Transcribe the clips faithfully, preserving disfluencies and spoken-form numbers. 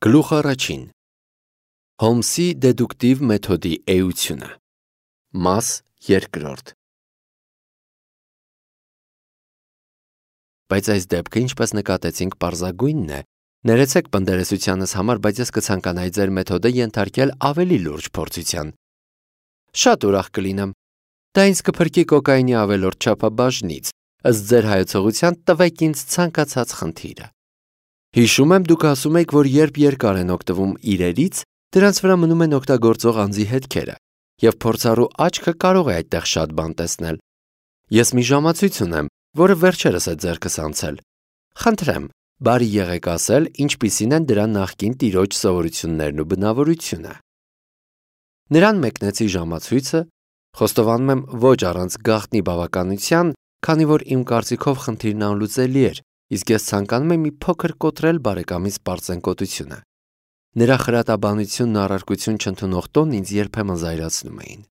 Գլուխ առաջին. Հոլմսի դեդուկտիվ մեթոդի էությունը։ Մաս երկրորդ։ Բայց այս դեպքը, ինչպես նկատեցինք, պարզագույնն է։ Ներեցեք պնդերեսությանս համար, բայց ես կցանկանայի ձեր մեթոդը ենթարկել ավելի լուրջ փորձության։ Շատ ուրախ կլինեմ։ Դա ինձ կփրկի կոկայինի ավելորդ չափաբաժնից, ըստ ձեր հայեցողության տվեք ինձ ցանկացած խնդիրը։ Հիշում եմ, դուք ասում եք, որ երբ երկար են օգտվում իրերից, դրանց վրա մնում են օգտագործող անձի հետքերը, և փորձառու աչքը կարող է այդտեղ շատ բան տեսնել։ Ես մի ժամացույց ունեմ, որը վերջերս է ձեռքս անցել։ Խնդրեմ, բարի եղեք ասել, ինչպիսին են դրա նախկին տիրոջ սովորություններն ու բնավորությունը։ Նրան մեկնեցի ժամացույցը, խոստովանում եմ ոչ առանց գաղտնի բավականության, քանի որ իմ կարծիքով խնդիրն անլուծելի էր, իսկ ես ցանկանում եմ մի փոքր կոտրել բարեկամիս պարծենկոտությունը։ Նրա խրատաբանությունն ու առարկություն չընդունող տոնն ինձ երբեմն զայրացնում էին։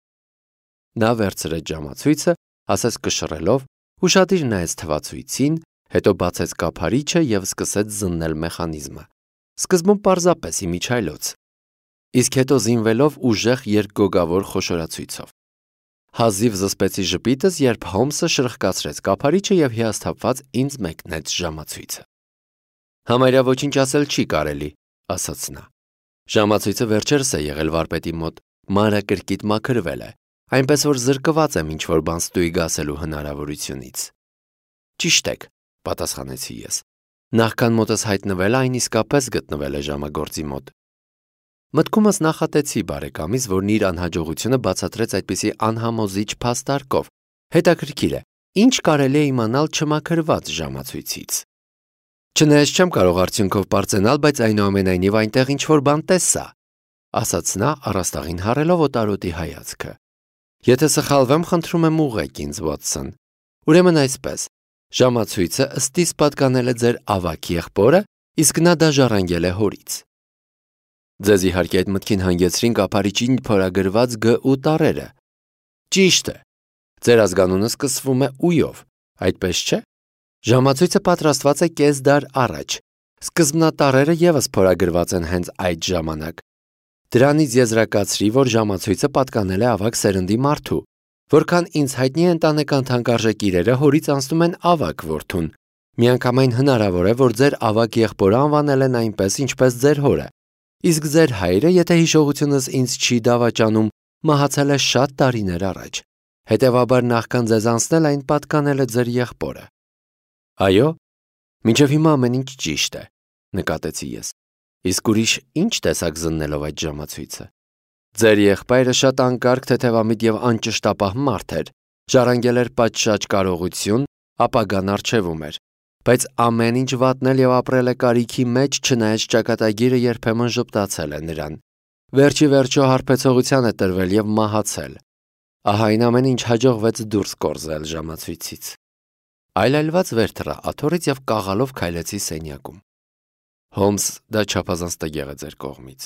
Նա վերցրեց ժամացույցը, ասես կշռելով, ուշադիր նայեց թվացույցին, հետո բացեց կափարիչը և սկսեց զննել մեխանիզմը։ Սկզբում պարզապես իմիջայլոց, իսկ հետո զինվելով ուժեղ երկգոգավոր խոշորացույցով։ Հազիվ զսպեցի ժպիտս, երբ Հոլմսը շրխկացրեց կափարիչը և հիասթափված ինձ մեկնեց ժամացույցը։ Համարյա ոչինչ ասել չի կարելի, ասաց նա։ Ժամացույցը վերջերս է եղել վարպետի մոտ, մանրակրկիտ մաքրվել է, այնպես որ զրկված եմ ինչ-որ բան ստույգ ասելու հնարավորությունից։ Ճիշտ եք, պատասխանեցի ես։ Նախքան մոտս հայտնվելը այն իսկապես գտնվել է ժամագործի մոտ։ Մտքումս նախատեցի բարեկամիս, որն իր անհաջողությունը բացատրեց այդպիսի անհամոզիչ փաստարկով։ Հետաքրքիր է, ինչ կարելի է իմանալ չմաքրված ժամացույցից։ Չնայած չեմ կարող արդյունքով պարծենալ, բայց այնուամենայնիվ այնտեղ ինչ-որ բան տեսա, ասաց նա, առաստաղին հառելով օտարոտի հայացքը։ Եթե սխալվեմ, խնդրում եմ ուղղեք ինձ, Վոթսոն։ Ուրեմն այսպես, ժամացույցը ըստիս պատկանել է ձեր ավագ եղբորը, իսկ նա դա ժառանգել է հորից։ Ձեզ իհարկե այդ մտքին հանգեցրին կափարիչին փորագրված Գ ու տառերը։ Ճիշտ է։ Ձեր ազգանունը սկսվում է ույով, այդպես չէ։ Ժամացույցը պատրաստված է կես դար առաջ։ Սկզբնատառերը ևս փորագրված են հենց այդ ժամանակ։ Դրանից եզրակացրի, որ ժամացույցը պատկանել է ավագ սերնդի մարդու, որքան ինձ հայտնի է ընտանեկան թանկարժեք իրերը հորից անցնում են ավագ որդուն։ Միանգամայն հնարավոր է, որ ձեր ավագ եղբորը անվանել են այնպես, ինչպես ձեր հորը, իսկ ձեր հայրը, եթե հիշողությունս ինձ չի դավաճանում, մահացել է շատ տարիներ առաջ։ Հետևաբար նախքան ձեզ անցնել այն պատկանել է ձեր եղբորը։ Այո, մինչև հիմա ամեն ինչ ճիշտ է, նկատեցի ես։ Իսկ ուրիշ ինչ տեսակ զննելով այդ ժամացույցը։ Ձեր եղբայրը շատ անկարգ, թեթևամիտ և անճշտապահ մարդ էր, ժառանգել էր պատշաճ կարողություն, ապագան առջևում էր, բայց ամեն ինչ վատնել և ապրել է կարիքի մեջ, չնայած ճակատագիրը երբեմն ժպտացել է նրան։ Վերջի վերջո հարբեցողության է տրվել և մահացել։ Ահա այն ամեն ինչ հաջողվեց դուրս կորզել ժամացույցից։ Այլայլված վեր թռա աթոռից և կաղալով քայլեցի սենյակում։ Հոլմս, դա չափազանց տգեղ է ձեր կողմից։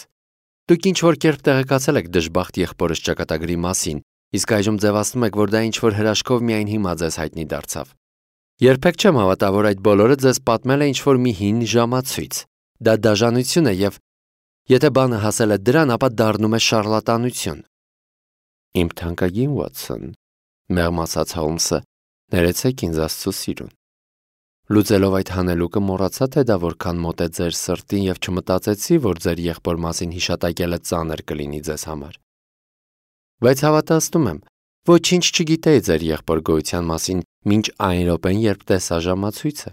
Դուք ինչ-որ կերպ տեղեկացել եք դժբախտ եղբորս ճակատագրի մասին, իսկ այժմ ձևացնում եք, որ դա ինչ-որ հրաշքով միայն հիմա ձեզ հայտնի դարձավ։ Երբեք չեմ հավատա, որ այդ բոլորը ձեզ պատմել է ինչ-որ մի հին ժամացույց։ Դա դաժանություն է և եթե բանը հասել է դրան, ապա դառնում է շառլատանություն։ Իմ թանկագին Վոթսոն, մեղմ ասաց Հոլմսը, ներեցեք ինձ Աստծո սիրուն։ Լուծելով այդ հանելուկը մոռացա, թե դա որքան մոտ է ձեր սրտին և չմտածեցի, որ ձեր եղբոր մասին հիշատակելը ծանր կլինի ձեզ համար։ Բայց հավատացնում եմ, ոչինչ չգիտեի ձեր եղբոր գոյության մասին մինչ այն րոպեն, երբ տեսա ժամացույցը։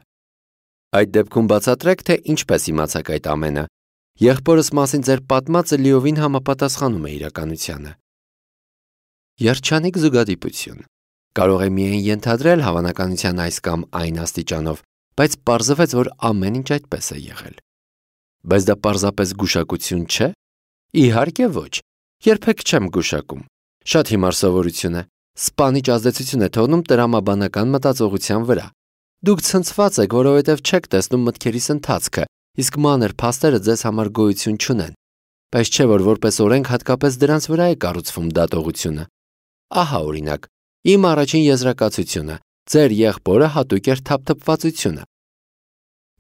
Այդ դեպքում բացատրեք, թե ինչպես իմացաք այդ ամենը։ Եղբորս մասին ձեր պատմածը լիովին համապատասխանում է իրականությանը։ Երջանիկ զուգադիպություն։ Կարող է միայն ենթադրել հավանականության այս կամ այն աստիճանով, բայց պարզվեց, որ ամեն ինչ այդպես է եղել։ Բայց դա պարզապես գուշակություն չէ։ Իհարկե ոչ, երբեք չեմ գուշակում։ Շատ հիմար սովորություն է։ Սպանիչ ազդեցություն է թողնում տրամաբանական մտածողության վրա։ Դուք ցնցված եք, որովհետև չեք տեսնում մտքերիս ընթացքը, իսկ մանր փաստերը ձեզ համար գոյություն չունեն։ Բայց չէ, որ որպես օրենք հատկապես դրանց վրա է կառուցվում դատողությունը։ Ահա օրինակ, իմ առաջին եզրակացությունը, ձեր եղբորը հատուկ էր թափթփվածությունը։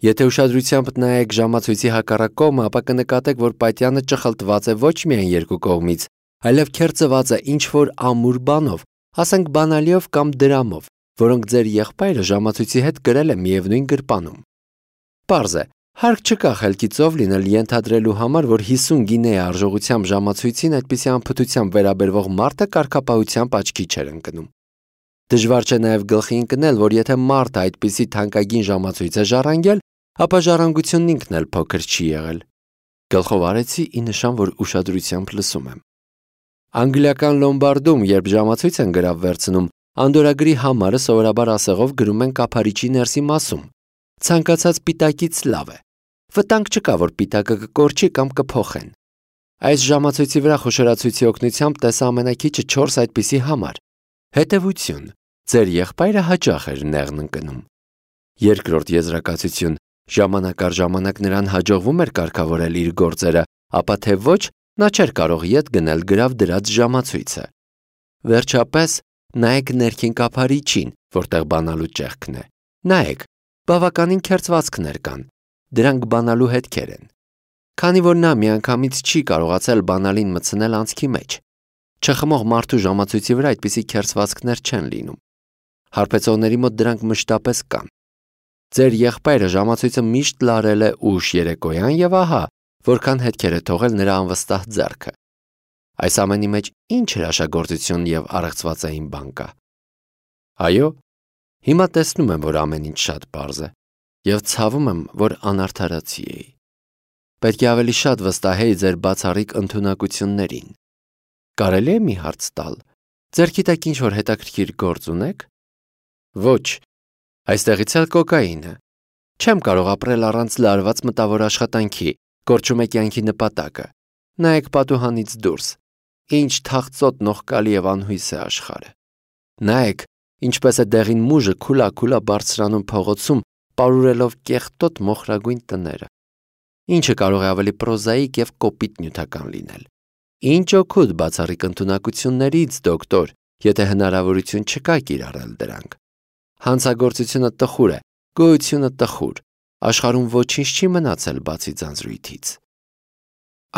Եթե ուշադրությամբ նայեք ժամացույցի հակառակ կողմը, ապա կնկատեք, որ պատյանը ճխլտված է ոչ միայն երկու կողմից, այլև քերծված է ինչ-որ ամուր բանով, ասենք բանալիով կամ դրամով, որոնք ձեր եղբայրը ժամացույցի հետ գրել է միևնույն գրպանում։ Պարզ է, հարկ չկա խելքի ծով լինել ենթադրելու համար, որ հիսուն գինեի արժողությամբ ժամացույցին այդպիսի անփթությամբ վերաբերվող մարդը կարգապահությամբ աչքի չէր ընկնում։ Դժվար չէ նաև գլխի ընկնել, որ եթե մարդը այդպիսի թանկագին ժամացույց է ժառանգել, ապա ժառանգությունն ինքն էլ փոքր չի եղել։ Գլխով արեցի ի նշան, որ ուշադրությամբ լսում եմ։ Անգլիական լոմբարդում, երբ ժամացույց են գրավ վերցնում, անդորագրի համարը սովորաբար ասեղով գրում են կափարիչի ներսի մասում։ Ցանկացած պիտակից լավ է։ Վտանգ չկա, որ պիտակը կկորչի կամ կփոխեն։ Այս ժամացույցի վրա խոշորացույցի օգնությամբ տեսա ամենաքիչը չորս այդպիսի համար։ Հետևություն, ձեր եղբայրը հաճախ էր նեղն ընկնում։ Երկրորդ եզրակացություն, ժամանակ առ ժամանակ նրան հաջողվում էր կարգավորել իր գործերը, ապա թե ոչ, նա չէր կարող ետ գնել գրավ դրած ժամացույցը։ Վերջապես, նայեք ներքին կափարիչին, որտեղ բանալու ճեղքն է։ Նայեք, բավականին քերծվածքներ կան։ Դրանք բանալու հետքեր են։ Քանի որ նա միանգամից չի կարողացել բանալին մտցնել անցքի մեջ։ Չխմող մարդու ժամացույցի վրա այդպիսի քերծվածքներ չեն լինում։ Հարբեցողների մոտ դրանք մշտապես կան։ Ձեր եղբայրը ժամացույցը միշտ լարել է ուշ երեկոյան եւ ահա, որքան հետքեր է թողել նրա անվստահ ձեռքը։ Այս ամենի մեջ ինչ հրաշագործություն եւ առեղծվածային բան կա։ Այո, հիմա տեսնում եմ, որ ամեն ինչ շատ պարզ է եւ ցավում եմ, որ անարդարացի էի։ Պետք է ավելի շատ վստահեի ձեր բացառիկ ընդունակություններին։ Կարելի է մի հարց տալ։ Ձեր գիտեք ինչ-որ հետաքրքիր գործ ունեք։ Ոչ, այստեղից էլ կոկաինը։ Չեմ կարող ապրել առանց լարված մտավոր աշխատանքի, կորչում է կյանքի նպատակը։ Նայեք պատուհանից դուրս։ Ինչ թախծոտ նողկալի եւ անհույս է աշխարհը։ Նայեք, ինչպես է դեղին մուժը քուլա-քուլա բարձրանում փողոցում, պարուրելով կեղտոտ մոխրագույն տները։ Ինչը կարող է ավելի պրոզաիկ եւ կոպիտ նյութական լինել։ Ինչ օգուտ բացառիկ ընդունակություններից, դոկտոր, եթե հնարավորություն չկա կիրառել դրանք։ Հանցագործությունը տխուր է, գոյությունը տխուր։ Աշխարհում ոչինչ չի մնացել բացի ձանձրույթից։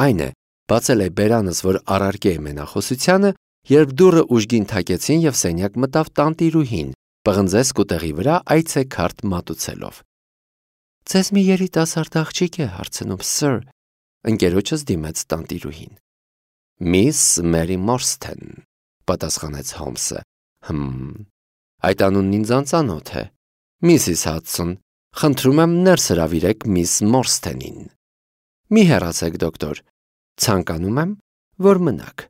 Այն է, բացել է բերանս, որ առարկե է մենախոսությանը, երբ դուռը ուժգին թակեցին եւ սենյակ մտավ տանտիրուհին, պղնձե սկուտեղի վրա այցեքարտ մատուցելով։ Ձեզ մի երիտասարդ աղջիկ է հարցնում, սըր, ընկերոջս դիմեց տանտիրուհին։ Միս Մերի Մորսթեն, պատասխանեց Հոմսը։ Հմ, այդ անունն ինձ անծանոթ է։ Միսիս Հադսոն, խնդրում եմ ներս հրավիրեք միս Մորսթենին։ Մի հեռացեք, դոկտոր, ցանկանում եմ, որ մնաք։